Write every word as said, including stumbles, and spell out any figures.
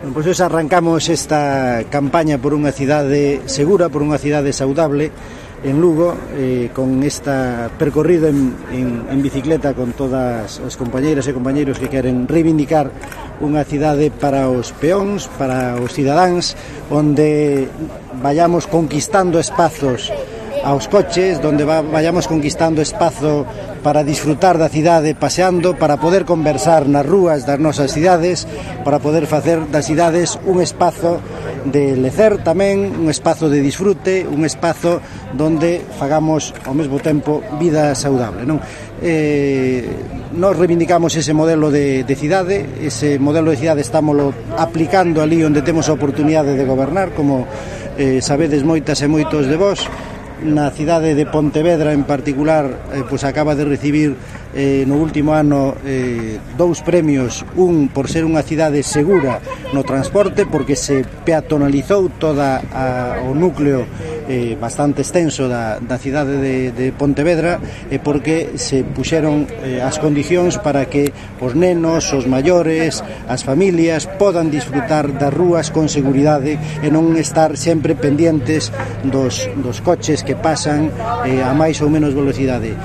Bueno, pois pues arrancamos esta campaña por unha cidade segura, por unha cidade saudable en Lugo, eh, con esta percorrida en, en, en bicicleta con todas as compañeiras e compañeiros que queren reivindicar unha cidade para os peóns, para os cidadáns, onde vayamos conquistando espazos aos coches, donde va, vayamos conquistando espazo para disfrutar da cidade paseando, para poder conversar nas rúas das nosas cidades, para poder facer das cidades un espazo de lecer tamén, un espazo de disfrute, un espazo donde fagamos ao mesmo tempo vida saudable, non? Eh, nos reivindicamos ese modelo de, de cidade, ese modelo de cidade estámoslo aplicando ali onde temos a oportunidade de gobernar, como eh, sabedes moitas e moitos de vós. Na cidade de Pontevedra en particular, eh, pois acaba de recibir eh, no último ano eh, dous premios, un por ser unha cidade segura no transporte, porque se peatonalizou toda a, o núcleo eh, bastante extenso da, da cidade de, de Pontevedra, e porque se puxeron eh, as condicións para que os nenos, os maiores, as familias podan disfrutar das rúas con seguridade e non estar sempre pendientes dos, dos coches que pasan eh, a máis ou menos velocidade.